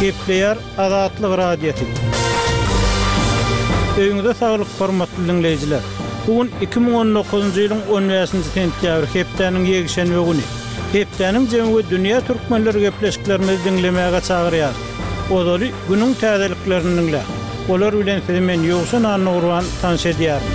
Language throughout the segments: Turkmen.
Gepleýär Azatlyk Radiosy. Öýüňize saglyk hormatly diňleýjiler. Bu gün 2019-njy ýylyň 15-nji sentýabry hepdäniň ýekşenbe güni. Hepdäniň jemi we dünýä türkmenleri gepleşiklerimizi diňlemäge çagyrýarys. Ozaly günüň täzeliklerini diňläň. Olar bilen sizi men Ýowşan Annagurban tanyş edýärin.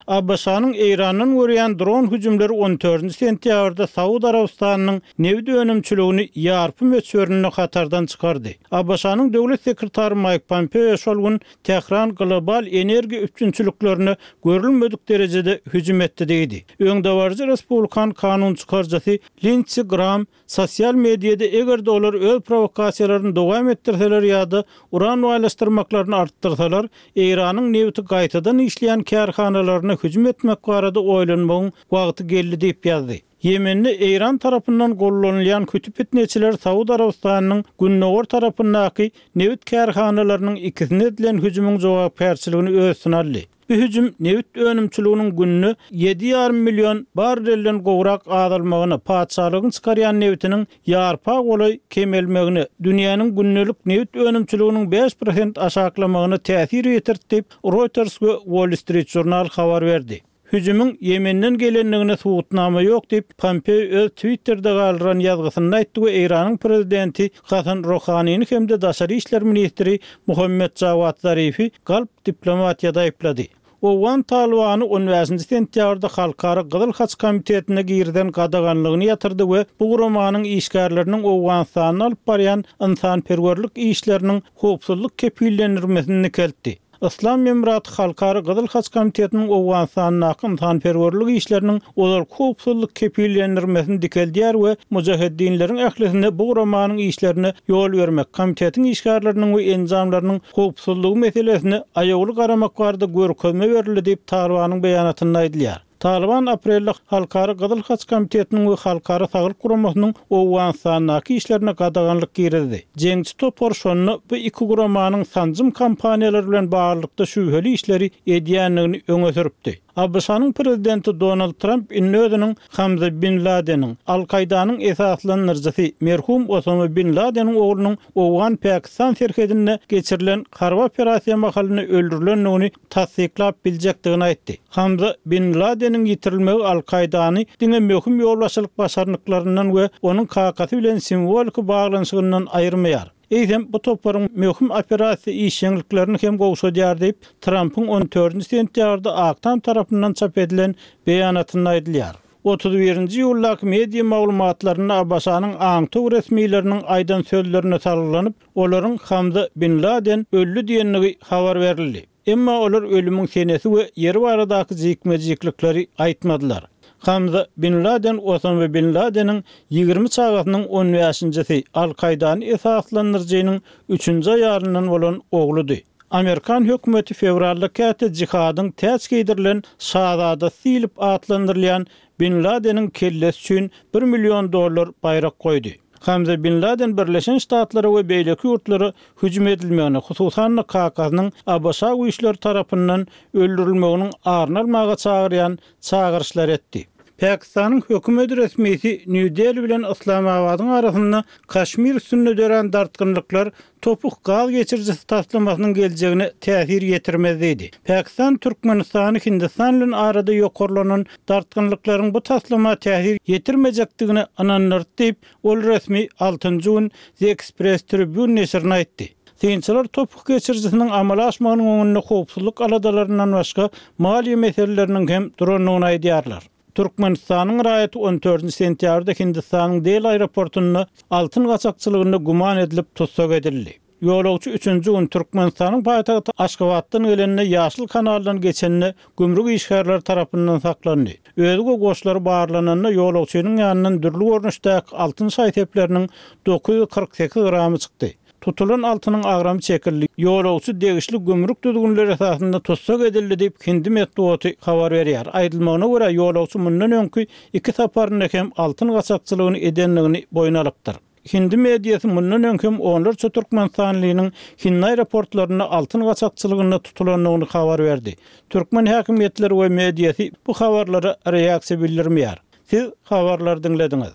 ABŞ-nyň Eýrandan görýän dron hüjümleri on dördünji sentýabrda Saud Arabystanynyň nebit önümçiligini ýarpy möçberinde hatardan çykardy. ABŞ-nyň döwlet sekretary Maýk Pompeo şol gün Tähran global energiýa üpjünçiliklerine görülmedik derejede hüjüm etdi diýdi. Öňdebaryjy respublikan kanunçykaryjysy Lindsi Gram Sosial mediada eger-de olar öz prowokasiýalaryny dowam etdirseler ýa-da uran baýlaşdyrmaklaryny artdyrsalar, Eýranyň nebiti gaýtadan işleýän kärhanalaryna hüjüm etmek barada oýlanmagyň wagty geldi diýip ýazdy. Ýemende Eýran tarapyndan gollanylýan küti pitneçiler Saud Arabystanynyň gündogar tarapyndaky nebit kärhanalarynyň ikisine edilen hüjümiň jogapkärçiligini öz üstüne aldy. Bu hüjüm nebit önümçiliginiň günde ýedi ýarym million barrelden gowrak azalmagyna, patyşalygyň çykarýan nebitiniň ýarpa golaý kemelmegine, dünýäniň gündelik nebit önümçiliginiň 5% aşaklamagyna täsir ýetirdi diýip, Reuters we Wall Street Journal habar berdi. Hüjümiň Ýemenden gelendigine subutnama ýok diýip, Pompeo öz Twitterde galdyran ýazgysynda aýtdy we Eýranyň prezidenti Hasan Rohanini hem-de daşary işler ministri Muhammet Jawad Zarifi galp diplomatiýada aýyplady. Owgan Talybany on bäşinji sentýabrda Halkara Gyzyl Haç Komitetine girizen gadaganlygyny ýatyrdy we bu guramanyň işgärleriniň Owganystanda alyp barýan ynsanperwerlik işleriniň howpsuzlyk kepillendirmesini dikeltdi. Yslam Emiraty Halkara Gyzyl Haç Komitetiniň Owganystandaky ynsanperwerlik işleriniň ozalky howpsuzlyk kepillendirmesini dikeldýär we mujaheddinleriň ählisine bu guramanyň işlerine ýol bermek, komitetiň işgärleriniň we enjamlarynyň howpsuzlygy meselesine aýawly garamak barada görkezme berildi diýip, Talybanyň beýanatynda aýdylýar. Talyban aprelde Halkara Gyzyl Haç Komitetiniň we Halkara Saglyk Guramasynyň Owganystandaky işlerine gadaganlyk girizdi. Jeňçi topar şonda bu iki guramanyň sanjym kampaniýalary bilen baglylykda şübheli işleri edýändigini öňe sürüpdi. ABŞ-nyň prezidenti Donald Tramp indi özüniň Hamza bin Ladeniň, Al-Kaýdanyň esaslandyryjysy merhum Osama bin Ladeniň oglunyň owgan-pakistan serhedinde geçirilen harby operasiýa mahalynda öldürilendigini tassyklap biljekdigini aýtdy. Hamza bin Ladeniň ýitirilmegi Al-Kaýdany diňe möhüm ýolbaşçylyk başarnyklaryndan we onuň kakasy bilen simwoliki baglanyşygyndan aýyrmaýar. Eýsem, bu toparyň möhüm operasiýa işjeňliklerini hem gowşadýar diýip, Trampyň on dördünji sentýabrda Ak Tam tarapyndan çap edilen beýanatynda aýdylýar. 31-nji iýuldaky media maglumatlarynda ABŞ-nyň aňtaw resmileriniň aýdan sözlerine salgylanyp, olaryň Hamza bin Laden öldi diýendigi habar berildi. Emma olar ölümiň senesi we ýeri baradaky jikme-jiklikleri aýtmadylar. Hamza bin Laden Osama bin Ladeniň 20 çagasynyň on bäşinjisi, Al-Kaýdany esaslandyryjynyň üçünji aýalyndan bolan ogludy. Amerikan hökümeti fewralda käte jihadyň täç geýdirilen şazadasy diýlip atlandyrylýan bin Ladeniň kellesi üçin bir million dollar baýrak goýdy. Hamza bin Laden Birleşen Ştatlara we beýleki ýurtlara hüjüm edilmegine, hususan-da kakasynyň ABŞ güýçleri tarapyndan öldürilmeginiň aryny almaga çagyrýan çagyryşlar etdi. Pakistanyň hökümet resmisi Nýu-Deli bilen Yslamabadyň arasynda Kaşmir üstünde dörän dartgynlyklar Topuk gaz geçirijisi taslamasynyň geljegine täsir ýetirmez diýdi. Pakistan Türkmenistany Hindistan bilen arada ýokarlanan dartgynlyklaryň bu taslama täsir ýetirmejekdigine ynandyrdy diýip, ol resmi altynjy gün The Express Tribune neşirine aýtdy. Synçylar topuk geçirijisiniň amala aşmagynyň öňünde howpsuzlyk aladalaryndan başga maliýe meseleleriniň hem durandygyny aýdýarlar. Türkmenistanyň raýaty on dördünji sentýabrda Hindistanyň Deli aeroportynda altyn gaçakçylygynda güman edilip tussag edildi. Ýolagçy üçünji gün Türkmenistanyň paýtagty Aşgabatdan gelende Ýaşyl kanaldan geçende gümrük işgärleri tarapyndan saklandy. Özi we goşlary barlananda ýolagçynyň ýanyndan dürli görnüşdäki altyn şaý-sepleriniň 948 gramy çykdy. Tutulan altynyň agramy çekildi, ýolagçy degişli gümrük düzgünleri esasynda tussag edildi diýip, hindi metbugaty habar berýär. Aýdylmagyna görä, ýolagçy mundan öňki iki saparynda hem altyn gaçakçylygyny edendigini boýun alypdyr. Hindi mediasy mundan öň hem onlarça türkmenistanlynyň hindi aeroportlarynda altyn gaçakçylygynda tutulandygyny habar berdi. Türkmen häkimiýetleri we mediasy bu habarlara reaksiýa bildirmeýär. Siz habarlary diňlediňiz.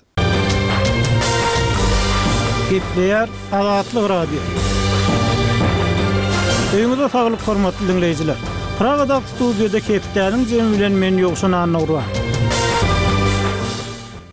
Gepleýär Azatlyk Radiosy. Öýüňize saglyk hormatly diňleýjiler. Pragadaky studiýada hepdäniň jemi bilen men Ýowşan Annagurban.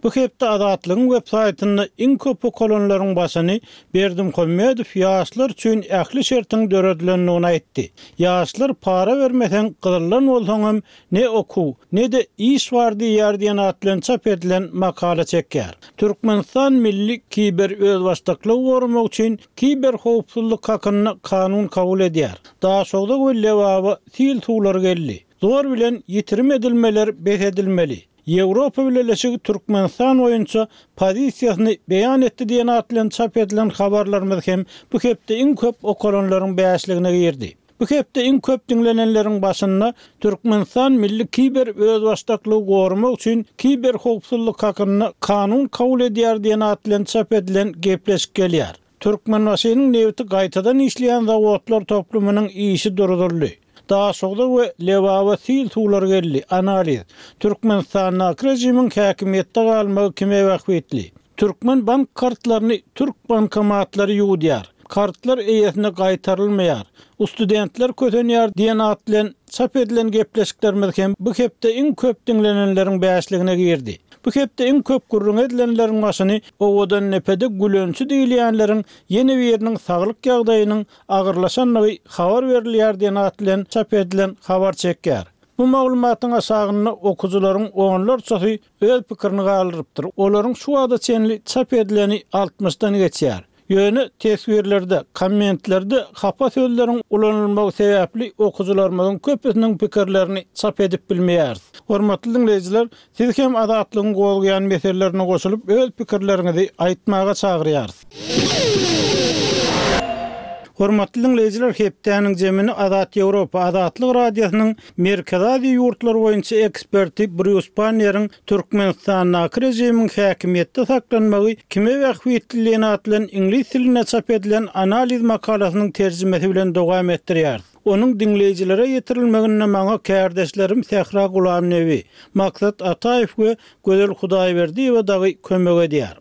Bu hepde Azatlygyň web saýtynda iň köp okalanlaryň başyny Berdimuhamedow ýaşlar üçin ähli şertiň döredilendigini aýtdy. Ýaşlar para bermeseň gyzyldan bolsaňam Ne okuw, ne-de iş bar diýýär diýen at bilen çap edilen makala çekýär. Türkmenistan milli kiber özbaşdaklygy goramak üçin kiber howpsuzlyk hakynda kanun kabul edýär. Daşogza we Lebaba sil suwlary geldi. Zor bilen ýitirim edilmeler bes edilmeli. Ýewropa Bileleşigi Türkmenistan boýunça pozisiýasyny beýan etdi diýen at bilen çap edilen habarlarymyz hem bu hepde iň köp okalanlaryň bäşligine girdi. Bu hepde iň köp diňlenenleriň başynda Türkmenistan milli kiber özbaşdaklygy goramak üçin kiber howpsuzlyk hakynda kanun kabul edýär diýen at bilen çap edilen gepleşik gelýär. Türkmenbaşynyň nebiti gaýtadan işleýän zawodlar toplumynyň işi duruzyldy. Daşogza we Lebaba sil suwlary geldi, analiz. Türkmenistandaky režimiň häkimiýetde galmagy kime bähbitli? Türkmen bank kartlaryny türk bankomatlary ýuwudýar. Kartlar eýesine gaýtarylmaýar. Ustudentler kösenýär diýen at bilen çap edilen gepleşiklerimiz hem bu hepde iň köp diňlenenleriň bäşligine girdi. Bu hepde iň köp gürrüňi edilenleriň başyny Owadandepede gülençi diýilýänleriň ýene biriniň saglyk ýagdaýynyň agyrlaşandygy habar berilýär diýen at bilen çap edilen habar çekýär. Bu maglumatyň aşagynda okyjylaryň onlarçasy öz pikirini galdyrypdyr. Olaryň şu wagta çenli çap edileni altmyşdan geçýär. Ýöne teswirlerde, kommentlerde hapa sözleriň ulanylmagy sebäpli okyjylarymyzyň köpüsiniň pikirlerini çap edip bilmeýäris. Hormatly diňleýjiler, sizi hem Azatlygyň gozgaýan meselelerine goşulyp öz pikirleriňizi aýtmaga çagyrýarys. Hormatly diňleýjiler hepdäniň jemini Azat Ýewropa, Azatlyk Radiosynyň Merkezi Aziýa ýurtlary boýunça eksperti Brýus Panneriň Türkmenistandaky režimiň häkimiýetde saklanmagy kime bähbitli diýen at bilen iňlis dilinde çap edilen analiz makalasynyň terjimesi bilen dowam etdirýäris. Onuň diňleýjilere ýetirilmeginde maňa kärdeşlerim Sähra Gulamnebi, Maksat Ataýew we Gözel Hudaýberdiýewa dagy kömek edýär.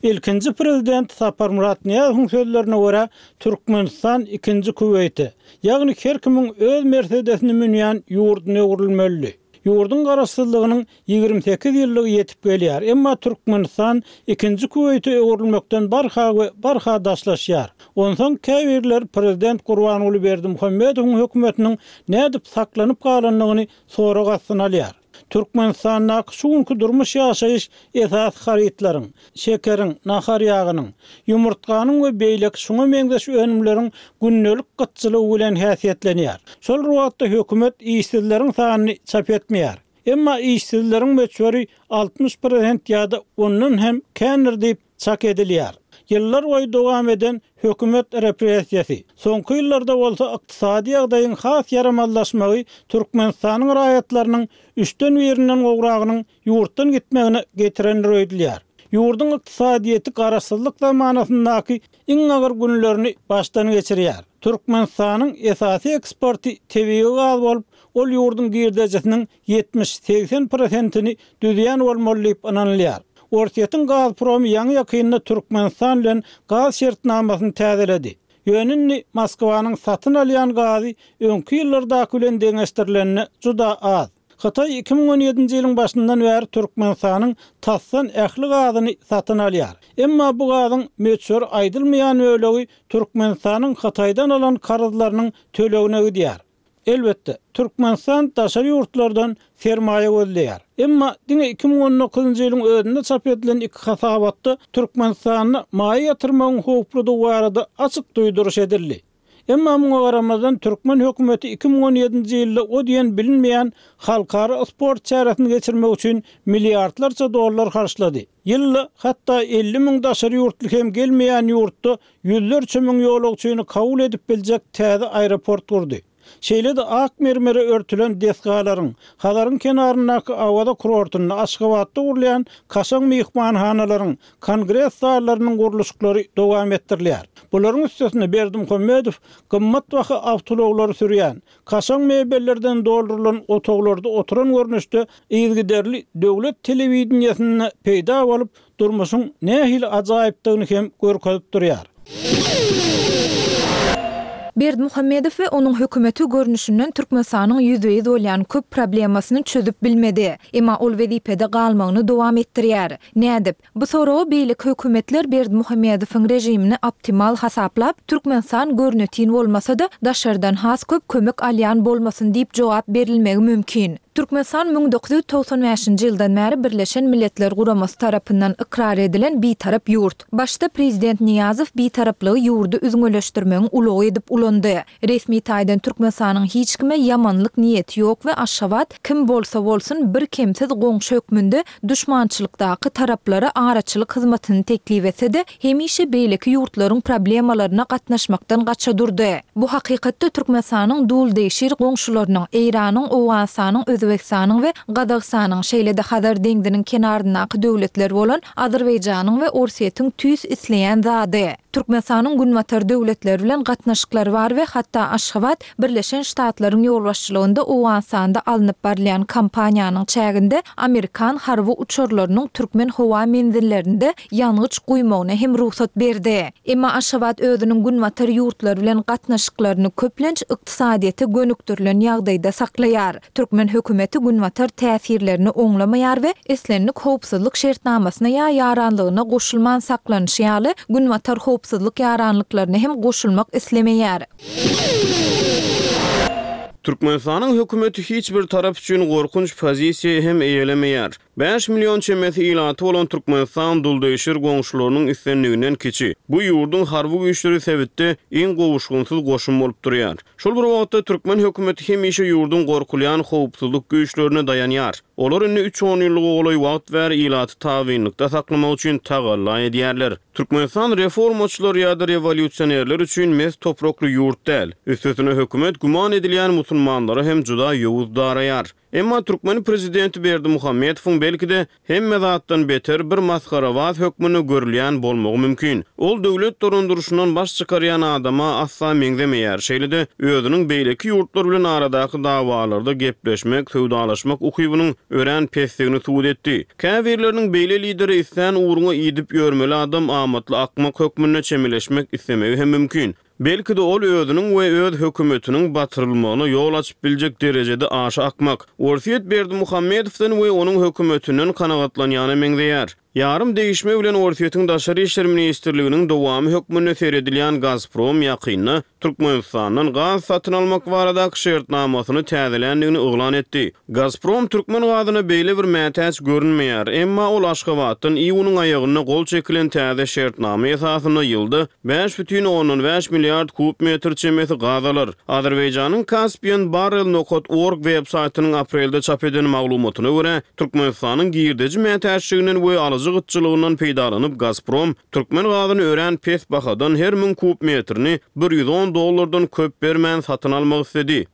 Ilkinji prezident Saparmyrat Nyýazowyň sözlerine görä, Türkmenistan ikinji Kuweýte, ýagny her kimiň öz Mersedesini münýän ýurduna öwrülmelidi. Ýurduň garaşsyzlygynyň 28 ýyllygy ýetip gelýär, emma Türkmenistan ikinji Kuweýte öwrülmekden barha we barha daşlaşýar. Onsoň käbirler prezident Gurbanguly Berdimuhamedowyň hökümetiniň nädip saklanyp galandygyny sorag astyna alýar. Türkmenistandaky şu günki durmuş-ýaşaýyş esasy harytlaryň, şekeriň, nahar ýagynyň, ýumurtganyň we beýleki şuňa meňzeş önümleriň gündelik gytçylygy bilen häsiýetlenýär. Şol bir wagtda hökümet işsizleriň sanyny çap etmeýär. Emma işsizleriň möçberi 60 prosent ýa-da ondan hem kändir diýip çak edilýär. Ýyllar boýy dowam eden hökümet repressiýasy, soňky ýyllarda bolsa ykdysady ýagdaýyň has ýaramazlaşmagy Türkmenistanyň raýatlarynyň üçden birinden gowragynyň ýurtdan gitmegine getirendir öýdülýär. Ýurduň ykdysadyýeti garaşsyzlyk zamanasyndaky iň agyr günlerini başdan geçirýär. Türkmenistanyň esasy eksporty tebigy gaz bolup, ol ýurduň girdejisiniň 70-80 prosentini düzýän bolmaly diýip ynanylýar. Orsýetiň Gazpromy ýaňy-ýakynda Türkmenistan bilen gaz şertnamasyny täzeledi. Ýöne indi Moskwanyň satyn alýan gazy öňki ýyllardaky bilen deňeşdirilende juda az. Hytaý 2017-nji ýylyň başyndan bäri Türkmenistanyň tasdan ähli gazyny satyn alýar. Emma bu gazyň möçberi aýdylmaýan bölegi Türkmenistanyň Hytaýdan alan karzlarynyň tölegine gidýär. Elbetde, Türkmenistan daşary ýurtlardan sermaýa gözleýär. Emma diňe 2019-njy ýylyň özünde çap edilen iki hasabatda Türkmenistanda maýa ýatyrmagyň howpludygy barada açyk duýduryş edildi. Emma muňa garamazdan türkmen hökümeti 2017-nji ýylda o diýen bilinmeýän halkara sport çäresini geçirmek üçin milliardlarça dollar harçlady. Ýylda hatda 50 müň daşary ýurtly hem gelmeýän ýurtda ýüzlerçe müň ýolagçyny kabul edip biljek täze aeroport gurdy. Şeýle-de ak mermere örtülen desgalaryň, Hazaryň kenaryndaky Awaza kurortynda, Aşgabatda gurulýan kaşaň myhmanhanalaryň, kongres zallarynyň gurluşyklary dowam etdirilýär. Bularyň üstesine Berdimuhamedow gymmatbaha awtoulaglary sürýän, kaşaň mebellerden doldurylan otaglarda oturan görnüşde yzygiderli döwlet telewideniýesinde peýda bolup, durmuşyň nähili ajaýypdygyny hem görkezip durýar. Berdimuhamedow we onuň hökümeti görnüşinden Türkmenistanyň ýüzbe-ýüz bolýan köp problemasyny çözüp bilmedi. Emma ol wezipede galmagyny dowam etdirýär. Nädip? Bu soraga beýleki hökümetler Berdimuhamedowyň režimini optimal hasaplap, Türkmenistan görnetin bolmasa-da, daşardan has köp kömek alýan bolmasyn diýip jogap berilmegi mümkin. Türkmenistan 1995-nji ýyldan bäri Birleşen Milletler Guramasy tarapyndan ykrar edilen bitarap ýurt. Başda prezident Nyýazow bitaraplygy ýurdy üzňeleşdirmegiň ulagy edip ulandy. Resmi taýdan Türkmenistanyň hiç kime ýamanlyk niýeti ýok we Aşgabat, kim bolsa bolsun, bir kemsiz goňşy hökmünde duşmançylykdaky taraplara araçylyk hyzmatyny teklip etse-de, hemişe beýleki ýurtlaryň problemalaryna gatnaşmakdan gaça durdy. Bu hakykatda Türkmenistanyň duldegşir goňşularynyň, Eýranyň, Owganystanyň, Özbegistanyň we Gazagystanyň, şeýle-de Hazar deňziniň kenaryndaky döwletler bolan Azerbaýjanyň we Orsýetiň tüýs isleýän zady. Türkmenistanyň Günbatar döwletleri bilen gatnaşyklary bar we hatda Aşgabat Birleşen Ştatlaryň ýolbaşçylygynda Owganystanda alnyp barylýan kampaniýanyň çäginde amerikan harby uçarlarynyň türkmen howa menzillerinde ýangyç guýmagyna hem rugsat berdi. Emma Aşgabat özüniň Günbatar ýurtlary bilen gatnaşyklaryny köplenç ykdysadyýete gönükdirilen ýagdaýda saklaýar. Türkmen hökümeti Günbatar täsirlerini oňlamaýar we islendik howpsuzlyk şertnamasyna ýa ýaranlygyna goşulman saklanyşy ýaly, Günbatar howpsuzlyk ýaranlyklaryna hem goşulmak islemeýär. Türkmenistanyň hökümeti hiç bir tarap üçin gorkunç pozisiýa hem eýelemeýär. 5 million çemesi ilaty bolan Türkmenistan duldegşir goňşularynyň islendiginden kiçi. Bu ýurduň harby güýçleri sebitde iň gowuşgynsyz goşun bolup durýar. Şol bir wagtda türkmen hökümeti hemişe ýurduň gorkulýan howpsuzlyk güýçlerine daýanýar. Olar indi üç onýyllyga golaý wagt bäri ilaty tabynlykda saklamak üçin tagalla edýärler. Türkmenistan reformaçylar ýa-da rewolýusionerler üçin mes toprakly ýurt däl. Üstesine hökümet güman edilýän musulmanlara hem juda ýowuz daraýar. Emma türkmen prezidenti Berdimuhamedowyň belki-de, hemme zatdan beter bir masgarabaz hökmünde görülýän bolmagy mümkin. Ol döwlet dolandyryşyndan baş çykarýan adama asla meňzemeýär, şeýle-de özüniň beýleki ýurtlar bilen aradaky dawalarda gepleşmek, söwdalaşmak ukybynyň örän pesdigini subut etdi. Käbirleriniň beýle lidere islän ugruňa idip ýörmeli adam amatly akmak hökmünde çemeleşmek islemegi hem mümkin. Belki-de ol özüniň we öz hökümetiniň batyrylmagyna ýol açyp biljek derejede aşa akmak. Orsýet Berdimuhamedowdan we onuň hökümetinden kanagatlanýana meňzeýär. Ýarym degişme bilen Orsýetiň Daşary işler ministrliginiň dowamy hökmünde seredilýän Gazprom ýakynda Türkmenistandan gaz satyn almak baradaky şertnamasyny täzeländigini yglan etdi. Gazprom türkmen gazyna beýle bir mätäç görünmeýär, emma ol Aşgabatdan iýunyň aýagynda gol çekilen täze şertnama esasynda ýylda 5,5 milliard kub metr çemesi gaz alar. Azerbaýjanyň Caspian Barrel nokat org web saýtynyň aprelde çap eden maglumatyna görä, Türkmenistanyň girdeji mätäçliginden we alyjy gytçylygyndan peýdalanyp Gazprom türkmen gazyny örän pes bahadan her müň kub metrini 110 dollardan köp bermän satyn almak isledi.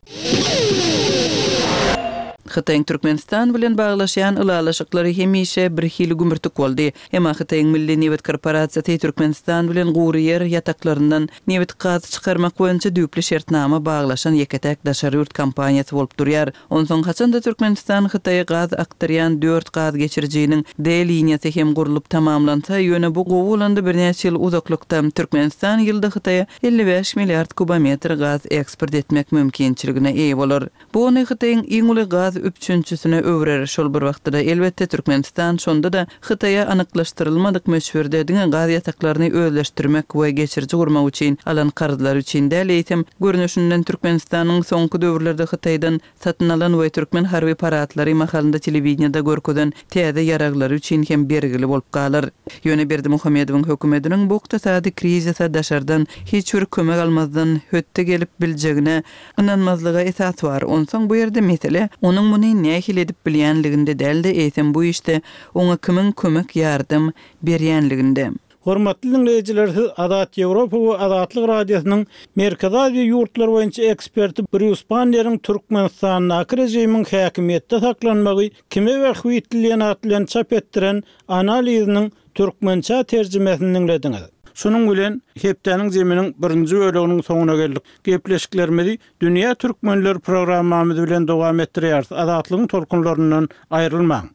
Hytaýyň Türkmenistan bilen baglaşýan ylalaşyklary hemişe birhili gümürtik boldy. Emma Hytaýyň Milli nebit korporasiýasy Türkmenistan bilen gury ýer ýataklaryndan nebit-gaz çykarmak boýunça düýpli şertnama baglaşan ýeke-täk daşary ýurt kompaniýasy bolup durýar. Onsoň haçan-da Türkmenistan Hytaýa gaz akdyrýan dört gaz geçirijiniň D liniýasy hem gurlup tamamlansa, ýöne bu gowy bolanda birnäçe ýyl uzaklykda, Türkmenistan ýylda Hytaýa 55 milliard kubometr gaz eksport etmek mümkinçiligine eýe bolar. Bu ony Hytaýyň iň uly gaz üpjünçisine öwrer. Şol bir wagtda-da, elbetde, Türkmenistan şonda-da Hytaýa anyklaşdyrylmadyk möçberde diňe gaz ýataklaryny özleşdirmek we geçiriji gurmak üçin alan karzlary üçin däl, eýsem, görnüşinden Türkmenistanyň soňky döwürlerde Hytaýdan satyn alan we türkmen harby paradlary mahalynda telewideniýede görkezen täze ýaraglary üçin hem bergili bolup galar. Ýöne Berdimuhamedowyň hökümetiniň bu ykdysady krizise daşardan hiç bir kömek almazdan hötde gelip biljegine ynanmazlyga esas bar. Onsoň bu ýerde mesele onuň muny nähili edip bilýänliginde däl-de, eýsem bu işde oňa kimiň kömek-ýardam berýänliginde. Hormatly diňleýjiler siz Azat Ýewropa we Azatlyk Radiosynyň Merkezi Aziýa ýurtlary boýunça eksperti Brýus Banneriň Türkmenistandaky režimiň häkimiýetde saklanmagy kime bähbitli diýen at bilen çap etdiren analiziniň türkmençä terjimesini diňlediňiz. Şunuň bilen hepdäniň zeminiň birinji böleginiň soňuna geldik. Gepleşiklerimizi Dünýä Türkmenleri programmamyz bilen dowam etdirýäris. Azatlygyň tolkunlaryndan aýrylmaň.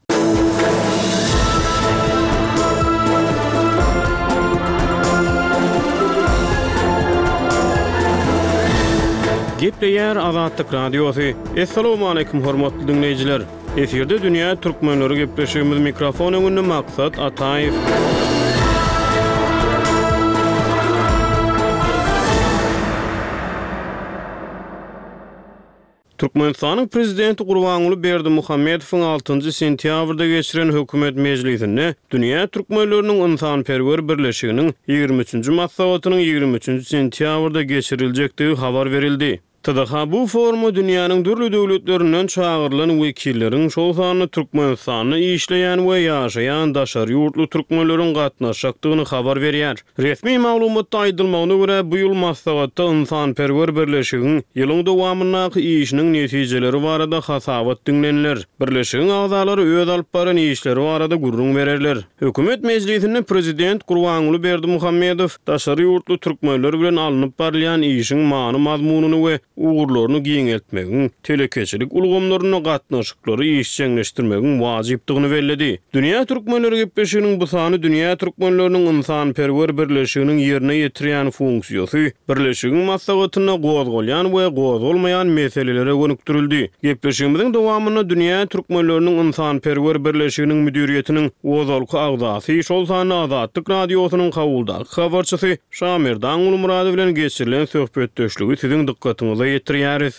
Gepleýär Azatlyk Radiosy. Assalamualaikum hormatly diňleýjiler. Efirde dünýä türkmenleri gepleşigimiz mikrofon öňünde Maksat Ataýew. Türkmenistanyň Prezidenti Gurbanguly Berdimuhamedowyň altynjy sentýabrda geçiren Hökümet mejlisinde Dünýä türkmenleriniň ynsanperwer birleşiginiň ýigrimi üçünji maslahatynyň ýigrimi üçünji sentýabrda geçiriljekdigi habar berildi. TDH bu foruma dünýäniň dürli döwletlerinden çagyrylan wekilleriň, şol sanda Türkmenistanda işleýän we ýaşaýan daşary ýurtly türkmenleriň gatnaşjakdygyny habar berýär. Resmi maglumatda aýdylmagyna görä, bu ýyl maslahatda ynsanperwer birleşigiň ýylyň dowamyndaky işiniň netijeleri barada hasabat diňleniler. Birleşigiň agzalary öz alyp baran işleri barada gürrüň bererler. Hökümet mejlisinde prezident Gurbanguly Berdimuhamedow daşary ýurtly türkmenler bilen alnyp barylýan işiň many-mazmunyny we ugurlaryny giňeltmegiň, telekeçilik ulgamlarynda gatnaşyklary işjeňleşdirmegiň wajypdygyny belledi. Dünýä türkmenleri gepleşiginiň bu sany Dünýä türkmenleriniň ynsanperwer birleşiginiň ýerine ýetirýän funksiýasy, birleşigiň maslahatynda gozgalýan we gozgalmaýan meselelere gönükdirildi. Gepleşigimiziň dowamynda Dünýä türkmenleriniň ynsanperwer birleşiginiň müdiriýetiniň ozalky agzasy, şol sanda Azatlyk Radiosynyň Kabuldaky habarçysy Şamerdan Gulmyradow bilen geçirilen söhbetdeşligi siziň dykgatyňyza ýetirýäris.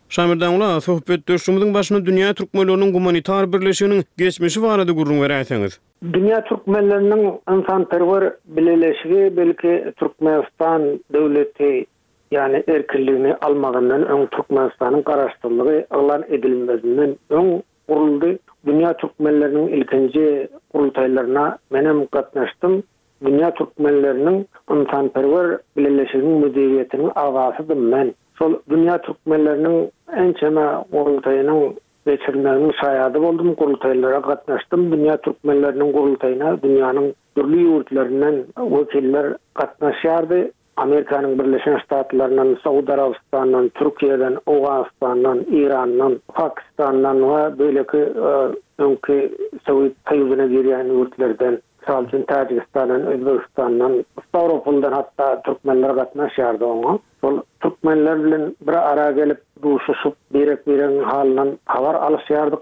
Şamerdan aga, söhbetdeşligimiziň başynda Dünýä türkmenleriniň gumanitar birleşiginiň geçmişi barada gürrüň beräýseňiz? Dünýä türkmenleriniň ynsanperwer bileleşigi belki Türkmenistan döwleti ýagny erkinligini almazyndan öň Türkmenistanyň garaşsyzlygy yglan edilmezinden öň guruldy. Dünýä türkmenleriniň ilkinji gurultaýlaryna menem gatnaşdym. Dünýä türkmenleriniň ynsanperwer bileleşiginiň müdiriýetiniň agzasydym men. Şol dünýä türkmenleriniň ençeme gurultaýynyň geçirilmeginiň şaýady boldum, gurultaýlara gatnaşdym. Dünýä türkmenleriniň gurultaýyna dünýäniň dürli ýurtlaryndan wekiller gatnaşýardy. Amerikanyň Birleşen Ştatlaryndan, Saud Arabystanyndan, Türkiýeden, Owganystandan, Eýrandan, Pakistandan we beýleki öňki Sowet Soýuzyna girýän ýurtlardan, mysal üçin, Täjigistandan, Özbegistandan, Stawropoldan hatda türkmenler gatnaşýardy oňa. Şol türkmenler bilen bir ara gelip, duşuşyp, birek-biregiň halyndan habar alyşýardyk.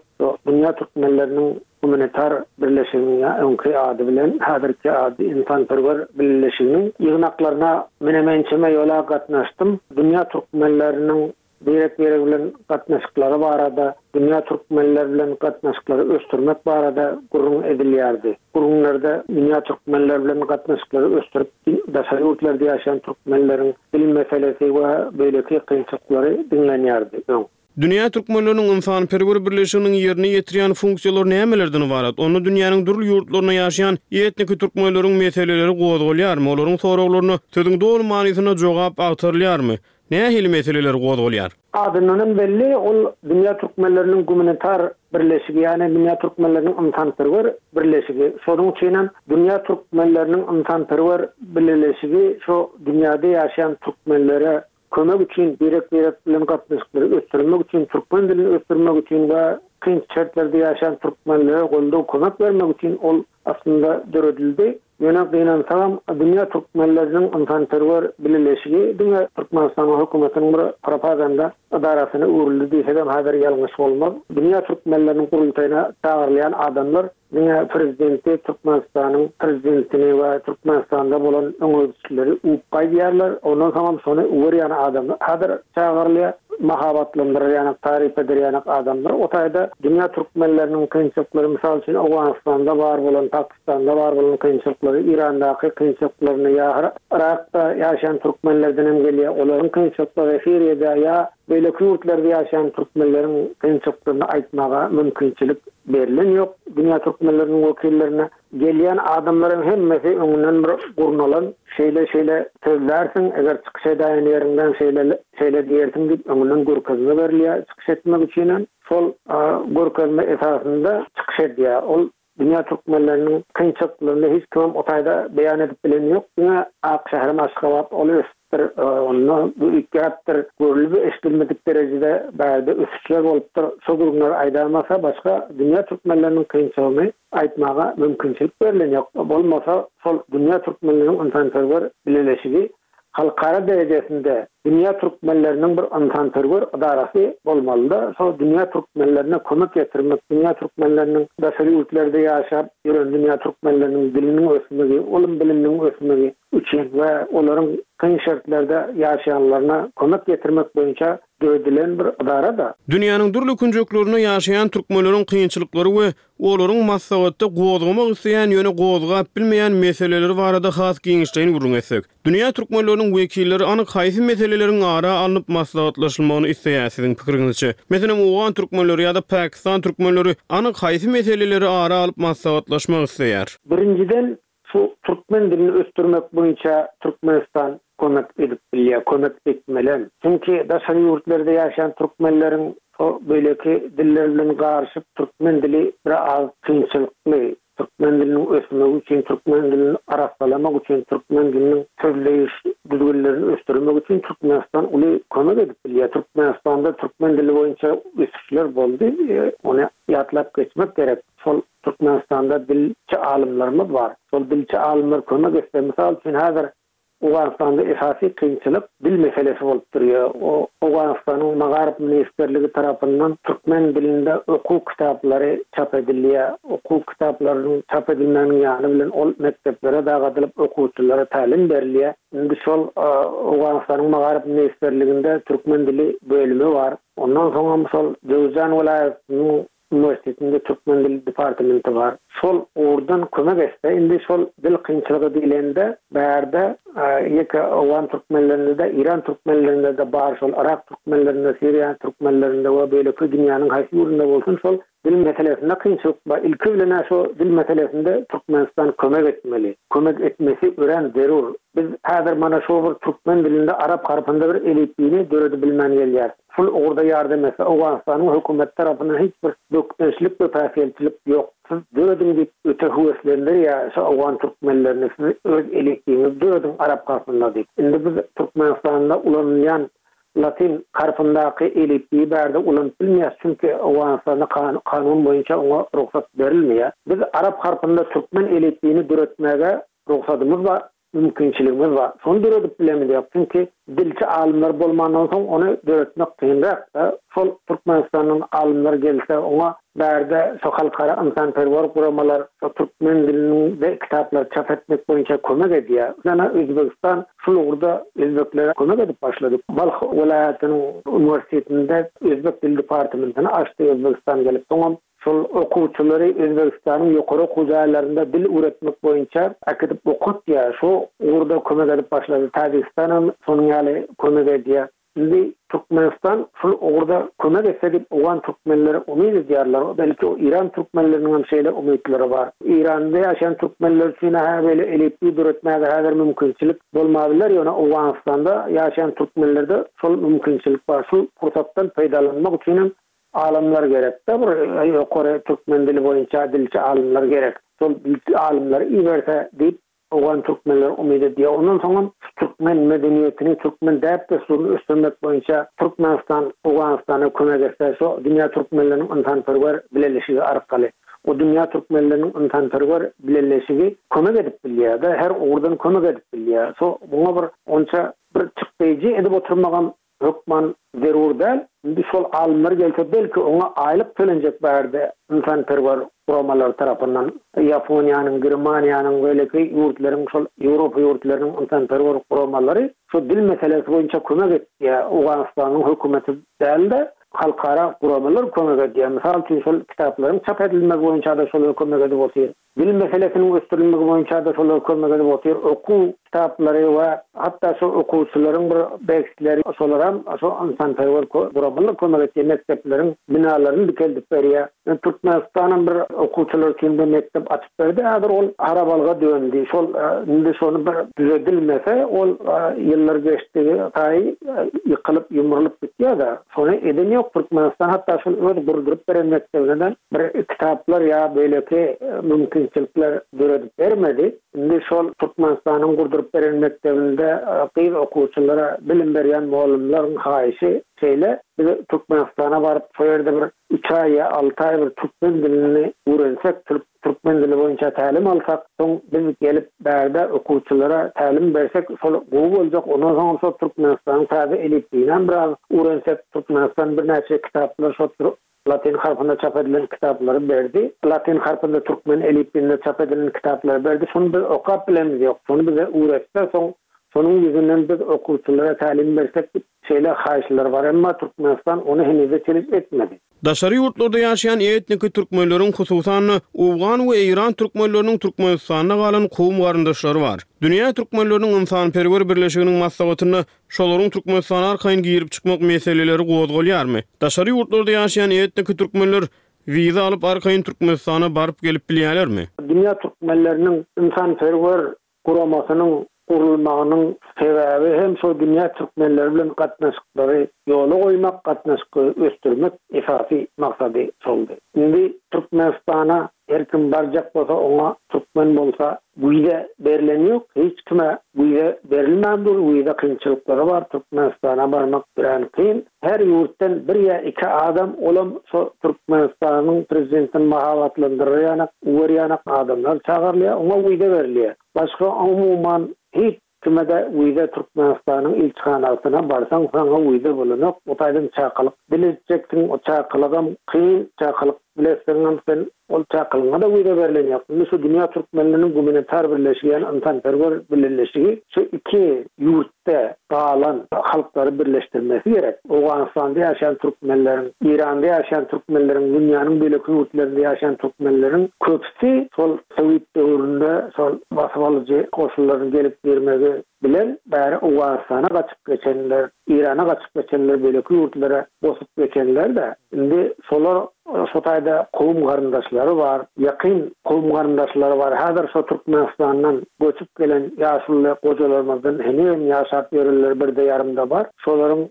Dünýä türkmenleriniň Gumanitar birleşiginiň ýa öňki ady bilen häzirki ady Ynsanperwer bileleşiginiň ýygnaklaryna menem ençeme ýola gatnaşdym. Dünýä türkmenleriniň birek-birek bilen gatnaşyklary barada, dünýä türkmenleri bilen gatnaşyklary ösdürmek barada gürrüň edilýärdi. Gürrüňlerde dünýä türkmenleri bilen gatnaşyklary ösdürip, daşary ýurtlarda ýaşaýan türkmenleriň dil meselesi we beýleki kynçylyklary diňlenýärdi öň. Dünýä türkmenleriniň ynsanperwer birleşiginiň ýerine ýetirýän funksiýalary nämelerden ybarat? Onda dünýäniň dürli ýurtlarynda ýaşaýan etniki türkmenleriň meseleleri gozgalýarmy? Olaryň soraglaryna sözüň doly manysynda jogap agtarylýarmy? Nähili meseleler gozgalýar? Adyndan hem belli, ol Dünýä türkmenleriniň gumanitar birleşigi, ýagny Dünýä türkmenleriniň ynsanperwer birleşigi. Şonuň üçin hem Dünýä türkmenleriniň ynsanperwer bileleşigi şu dünýäde ýaşaýan türkmenlere kömek üçin, birek-birek bilen gatnaşyklary ösdürmek üçin, türkmen dilini ösdürmek üçin we kyn şertlerde ýaşaýan türkmenlere goldaw, kömek bermek üçin ol aslynda döredildi. Ýöne gynansagam, Dünýä türkmenleriniň ynsanperwer bileleşigi diňe Türkmenistanyň hökümetiniň bir propaganda edarasyna öwrüldi diýsegem häzir ýalňyş bolmaz. Dünýä türkmenleriniň gurultaýyna çagyrylýan adamlar Diňe prezidenti Türkmenistanyň prezidentini we Türkmenistanda bolan öňegidişleri uwup gaýdýarlar. Ondan soňam şony uwer ýaly adamlar häzir çagyrylýar. Mahabatlandyrar ýanak, taryp eder ýanak adamlar. O taýda dünýä türkmenleriniň kynçylyklary, mysal üçin Owganystanda bar bolan, Pakistanda bar bolan kynçylyklary, Irandaky kynçylyklaryny ýa Yrakda ýaşaýan türkmenlerden hem gelýär, olaryň kynçylyklary, Siriýada ýa beýleki ýurtlarda ýaşaýan türkmenleriň kynçylyklaryny aýtmaga mümkinçilik Berlen ýok dünýä türkmenleriniň wekillerine. Gelýän adamlaryň hemmesi öňünden bir gurnalan, şeýle-şeýle sözlärsiň, eger çykyş edäýen ýeriňden şeýle, şeýle diýersiň diýip öňünden görkezme berilýär çykyş etmek üçinem. Şol görkezme esasynda çykyş edýär. Ol dünýä türkmenleriniň kynçylyklaryny hiç kimem o taýda beýan edip bileni ýok. Diňe ak şäherim Aşgabat ol ösüpdir, onda bu üýtgäpdir, görlüp-eşidilmedik derejede bärde ösüşler bolupdyr. Şo gürrüňleri aýdamasa başga dünýä türkmenleriniň kynçylygyny aýtmaga mümkinçilik berlen ýok. Bolmasa şol dünýä türkmenleriniň ynsanperwer bileleşigi halkara derejesinde dünýä türkmenleriniň bir ynsanperwer ydarasy bolmalyda, şo dünýä türkmenlerine kömek ýetirmek, dünýä türkmenleriniň daşary ýurtlarda ýaşap ýören dünýä türkmenleriniň diliniň ösmegi, ylym-biliminiň ösmegi üçin we olaryň kyn şertlerde ýaşaýanlaryna kömek ýetirmek boýunça döredilen bir ydarada. Dünýäniň dürli künjeklerinde ýaşaýan türkmenleriň kynçylyklary we Olaryň maslahatda gozgamak isleýän, ýöne gozgap bilmeýän meseleleri barada has giňişleýin gürrüň etsek. Dünýä türkmenleriniň wekilleri anyk haýsy meseleleriň ara alnyp maslahatlaşylmagyny isleýär siziň pikiriňizçe? Meselem, owgan türkmenleri ýa-da pakistan türkmenleri anyk haýsy meseleleri ara alyp maslahatlaşmak isleýär? Birinjiden, Şu türkmen dilini ösdürmek boýunça Türkmenistan kömek edip bilýär, kömek etmelem. Çünki daşary ýurtlarda ýaşaýan türkmenleriň şo beýleki diller bilen garyşyp türkmen dili bir az kynçylykly. Türkmen diliniň ösmegi üçin, türkmen dilini arassalamak üçin, türkmen diliniň sözleýiş düzgünlerini ösdürmek üçin Türkmenistan uly kömek edip bilýär. Türkmenistanda türkmen dili boýunça ösüşler boldy, ony ýatlap geçmek gerek. Şol Türkmenistanda dilçi alymlarymyz bar. Şol dilçi alymlar kömek etse, mysal üçin häzir Owganystanda esasy kynçylyk dil meselesi bolup durýar. Owganystanyň Magaryf ministrligi tarapyndan türkmen dilinde okuw kitaplary çap edilýär. Okuw kitaplarynyň çap edilmeginiň ýany bilen ol mekdeplere dagadylyp okuwçylara tälim berilýär. Indi şol Owganystanyň Magaryf ministrliginde türkmen dili bölümi bar. Ondan soňam şol Jöwüzjan welaýatynyň Uniwersitetinde türkmen dili departamenti bar. Şol ugurdan kömek etse, indi şol dil kynçylygy diýlende, bärde ýeke owgan türkmenlerinde-de, eýran türkmenlerinde-de bar şol, yrak türkmenlerinde, siriýa türkmenlerinde we beýleki dünýäniň haýsy ýurdunda bolsun şol dil meselesinde kynçylyk bar. Ilki bilen-ä şo dil meselesinde Türkmenistan kömek etmeli. Kömek etmesi örän zerur. Biz häzir mana şo bir türkmen dilinde arap harpynda bir elipbiýni döredibilmän gelýäris. Şul ugurda ýardam etse, Owganystanyň hökümeti tarapyndan hiç bir bökdençlik we päsgelçilik ýok. Siz dörediň diýip öte höweslendirýär şu owgan türkmenlerini, siz öz elipbiýiňizi dörediň arap harpynda diýip. Indi biz Türkmenistanda ulanylýan latyn harpyndaky elipbiýi bärde ulanyp bilmeýäs, çünki Owganystanda kanun boýunça oňa rugsat berilmeýär. Biz arap harpynda türkmen elipbiýini döretmäge rugsadymyz bar. Mümkinçiligimiz bar. Şony döredip bilemizok. Çünki dilçi alymlar bolmandan soň ony döretmek kynrak-da. Şol Türkmenistandan alymlar gelse oňa bärde şo halkara ynsanperwer guramalar şo türkmen dilinde kitaplary çap etmek boýunça kömek edýär. Ýöne Özbegistan şul ugurda özbeklere kömek edip başlady. Balh welaýatynyň uniwersitetinde özbek dil departamentini açdy Özbegistan gelip. Soňam Şol okuwçylary Özbegistanyň ýokary okuw jaýlarynda dil öwretmek boýunça äkidip okatýar. Şo ugurda kömek edip başlady. Täjigistanam şonuň ýaly kömek edýär. Indi Türkmenistan şul ugurda kömek etse diýip owgan türkmenleri umyt edýärler. Belki Eýran türkmenleriniň hem şeýle umytlary bar. Eýranda ýaşaýan türkmenler üçin-ä beýle elipbiý döretmäge häzir mümkinçilik bolmabiler, ýöne Owganystanda ýaşaýan türkmenlerde şol mümkinçilik bar. Şul pursatdan peýdalanmak üçinem Alymlar gerekde bir ýokary türkmen dili boýunça dilçi alymlar gerek. Şol dilçi alymlary iberse diýip owgan türkmenleri umyt edýär. Ondan soňam şu türkmen medeniýetini, türkmen däp-dessuryny ösdürmek boýunça Türkmenistan Owganystana kömek etse şo dünýä türkmenleriniň ynsanperwer bileleşigi arkaly. O dünýä türkmenleriniň ynsanperwer bileleşigi kömek edip bilýär-de, her ugurdan kömek edip bilýär. Şo muňa bir onça bir çykdaýjy edip oturmagam Hökman zerur däl. Indi şol alymlar gelse belki oňa aýlyk tölenjek bärde ynsanperwer guramalar tarapyndan Ýaponiýanyň, Germaniýanyň beýleki ýurtlaryň şol Ýewropa ýurtlarynyň ynsanperwer guramalary şu dil meselesi boýunça kömek etýär. Owganystanyň hökümeti däl-de halkara guramalar kömek edýär. Mysal üçin şol kitaplaryň çap edilmegi boýunça-da şolar kömek edip otyr. Dil meselesiniň ösdürilmegi boýunça-da şolar kömek edip otyr. Okuw. kitaplary we hatda şo okuwçylaryň bir dersleri şolaram şo ynsanperwer guramalar kömek etýär, mekdepleriň binalaryny dikeldip berýär. Türkmenistanam bir okuwçylar üçin bir mekdep açyp berdi, häzir ol harabalyga döndi. Şol indi şony bir düzedilmese ol ýyllar geçdigi saýy ýykylyp, ýumrulyp gitýär-de. Şony eden ýok Türkmenistan hatda şol öz gurduryp beren mekdebine-de bir kitaplar ýa beýleki mümkinçilikler döredip bermedi. Indi şol Türkmenistanyň gurduryp beren mekdebinde gyz okuwçylara bilim berýän mugallymlaryň haýyşy şeýle, biz Türkmenistana baryp şo ýerde bir üç aý ýa alty aý bir türkmen dilini öwrensek, türkmen dili boýunça tälim alsak, soň biz gelip bärde okuwçylara tälim bersek şol gowy boljak, ondan soňam şol Türkmenistanyň täze elipbiýinäm biraz öwrensek, Türkmenistan birnäçe kitaplar şo Latyn harpynda çap edilen kitaplary berdi. Latyn harpynda türkmen elipbiýinde çap edilen kitaplary berdi. Şony biz okap bilemiz ýok. Şony bize öwretse, soň şonuň ýüzünden biz okuwçylara tälim bersek diýip, şeýle haýyşlar bar. Emma Türkmenistan ony henize çenli etmedi. Daşary ýurtlarda ýaşaýan etniki türkmenleriň, hususan-da, owgan we eýran türkmenleriniň Türkmenistanda galan kowum-garyndaşlary bar. Dünýä türkmenleriniň ynsanperwer birleşiginiň maslahatynda Şolaryň Türkmenistana arkaýyn girip-çykmak meseleleri gozgalýarmy? Daşary ýurtlarda ýaşaýan etniki türkmenler wiza alyp arkaýyn Türkmenistana baryp-gelip bilýärlermi? Dünýä türkmenleriniň ynsanperwer guramasynyň gurulmagynyň sebäbi hem şol dünýä türkmenleri bilen gatnaşyklary ýola goýmak, gatnaşyklary ösdürmek esasy maksady şoldy. Indi Türkmenistana Her kim barjak bolsa oňa türkmen bolsa wiza berleni ýok hiç kime wiza berilmän dur wiza kynçylyklary bar Türkmenistana barmak örän kyn her ýurtdan bir ýa iki adam olam şo Türkmenistanyň prezidentini mahabatlandyrar ýanak uwer ýanak adamlar çagyrylýar oňa wiza berilýär başga umuman hiç Kime-de wiza Türkmenistanyň ilçihanasyna barsaň saňa wiza bolanok o taýdan çakylyk bile etjeksiň o çakylygam kyn çakylyk bile etseňem sen ol çakylygyňa-da wiza berlen ýok indi şu dünýä türkmenleriniň gumanitar birleşigi ýagny ynsanperwer bileleşigi şu iki ýurtda galan halklary birleşdirmesi gerek Owganystanda ýaşaýan türkmenleriň Eýranda ýaşaýan türkmenleriň dünýäniň beýleki ýurtlarynda ýaşaýan türkmenleriň köpüsi şol Sowet döwründe şol basybalyjy goşunlaryň gelip girmegi bilen bäri Owganystana gaçyp geçenler, Eýrana gaçyp geçenler, beýleki ýurtlara bosup geçenler-de, indi şolar şo taýda kowum-garyndaşlary bar, ýakyn kowum-garyndaşlary bar. Häzir şo Türkmenistandan göçüp gelen ýaşuly gojalarymyzdan henizem ýaşap ýörenler birde-ýarymda bar. Şolaryň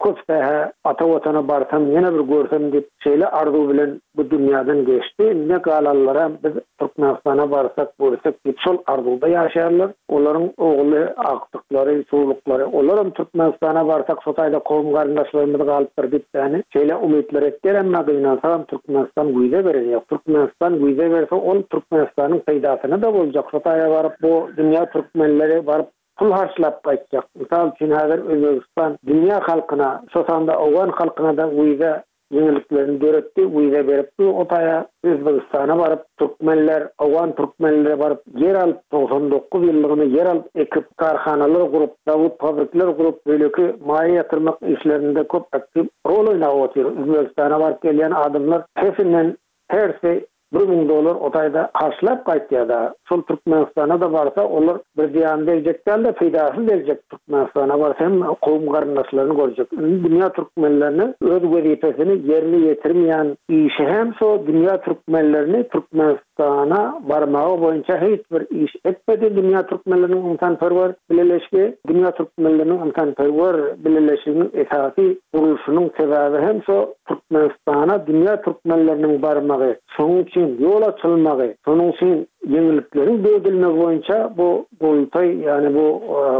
köpüsi-hä ata Watana barsam, ýene bir görsem diýip, şeýle arzuw bilen bu dünýäden geçdi. Indi galanlaram biz Türkmenistana barsak, görsek diýip şol arzuwda ýaşaýarlar. Olaryň ogly, agtyklary, çowluklary, olaram Türkmenistana barsak şo taýda kowum-garyndaşlarymyz galypdyr diýip ýani şeýle umytlar etýär, emma gynansagam Türkmenistan wiza beren ýok. Türkmenistan wiza berse ol Türkmenistanyň peýdasyna-da boljak. Şo taýa baryp bu dünýä türkmenleri baryp pul harçlap gaýtjak. Mysal üçin häzir Özbegistan dünýä halkyna, şo sanda owgan halkyna-da wiza ýeňilliklerini döretdi, wiza berip dur o taýa Özbegistana baryp türkmenler, owgan türkmenleri baryp ýer alyp 99 ýyllygyna ýer alyp ekip, karhanalar gurup, zawod fabrikler gurup beýleki maýa ýatyrmak işlerinde köp aktiw rol oýnap otyr. Özbegistana baryp gelýän adamlar hesinden hersi 1000 dollar o taýda harçlap gaýtýada. Şol Türkmenistana-da barsa olar bir zyýany degjek däl-de peýdasy degjek Türkmenistana barsa hem kowum garyndaşlaryny görjek. Indi dünýä türkmenleriniň öz wezipesini ýerine ýetirmeýän işi hem şo dünýä türkmenlerini Türkmenistana barmagy boýunça hiç bir iş etmedi dünýä türkmenleriniň ynsanperwer bileleşigi. Dünýä türkmenleriniň ynsanperwer bileleşiginiň esasy gurluşynyň sebäbi hem şo Türkmenistana dünýä türkmenleriniň barmagy, şonuň üçin ýol açylmagy, şonuň üçin ýeňillikleriň döredilmegi boýunça bu gurultaý, ýagny bu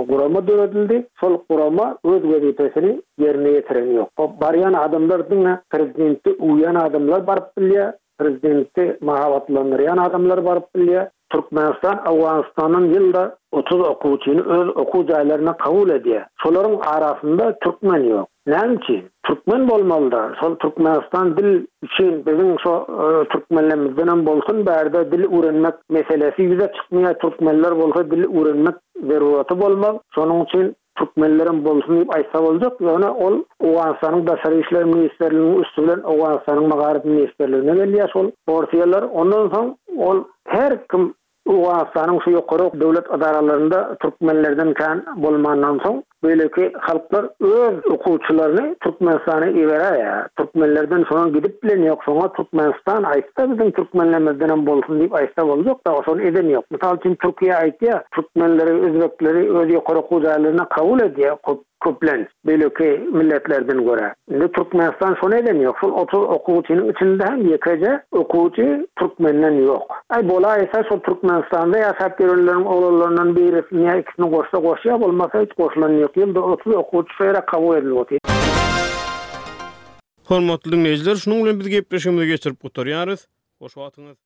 gurama döredildi. Şol gurama öz wezipesini ýerine ýetireni ýok. Barýan adamlar diňe prezidenti öwýän adamlar baryp bilýär, Prezidenti mahabatlandyrýan adamlar baryp bilýär. Türkmenistan Owganystandan ýylda 30 okuwçyny öz okuw jaýlaryna kabul edýär. Şolaryň arasynda türkmen ýok. Näme üçin? Türkmen bolmalyda. Şol Türkmenistan dil üçin biziň şo türkmenlerimizdenem bolsun bärde dil öwrenmek meselesi ýüze çykmaýar. Türkmenler bolsa dil öwrenmek zeruraty bolmaz. Şonuň üçin Türkmenlerem bolsun diýip aýtsa boljak, ýöne ol Owganystanyň Daşary işler ministrliginiň üsti bilen Owganystanyň Magaryf ministrligine gelýär şol porsiýalar. Ondan soň ol her kim. Owganystanyň şu ýokary döwlet edaralarynda türkmenlerden kän bolmandan soň, beýleki halklar öz okuwçylaryny Türkmenistana iberäýýär. Türkmenlerden şoňa gidip bilen ýok. Şoňa Türkmenistan aýtsa biziň türkmenlerimizdenem bolsun diýip aýtsa boljak-da, şony eden ýok. Mysal üçin Türkiýe aýtýar, türkmenleri, özbekleri öz ýokary okuw jaýlaryna kabul edýär köp. Köplenç, beýleki milletlerden görä. Indi Türkmenistan şony eden ýok. Şol 30 okuwçynyň içinde hem ýekeje okuwçy türkmenden ýok. Aý, bolaýsa şol Türkmenistanda ýaşap ýörenleriň oglanlaryndan birisini ýa ikisini goşsa goşýar, bolmasa hiç goşulany ýok. Ýylda 30 okuwçy şo ýere kabul edilip otyr. Hormatly diňleýjiler, şunuň bilen biz gepleşigimizi geçirip gutarýarys. Hoş wagtyňyz.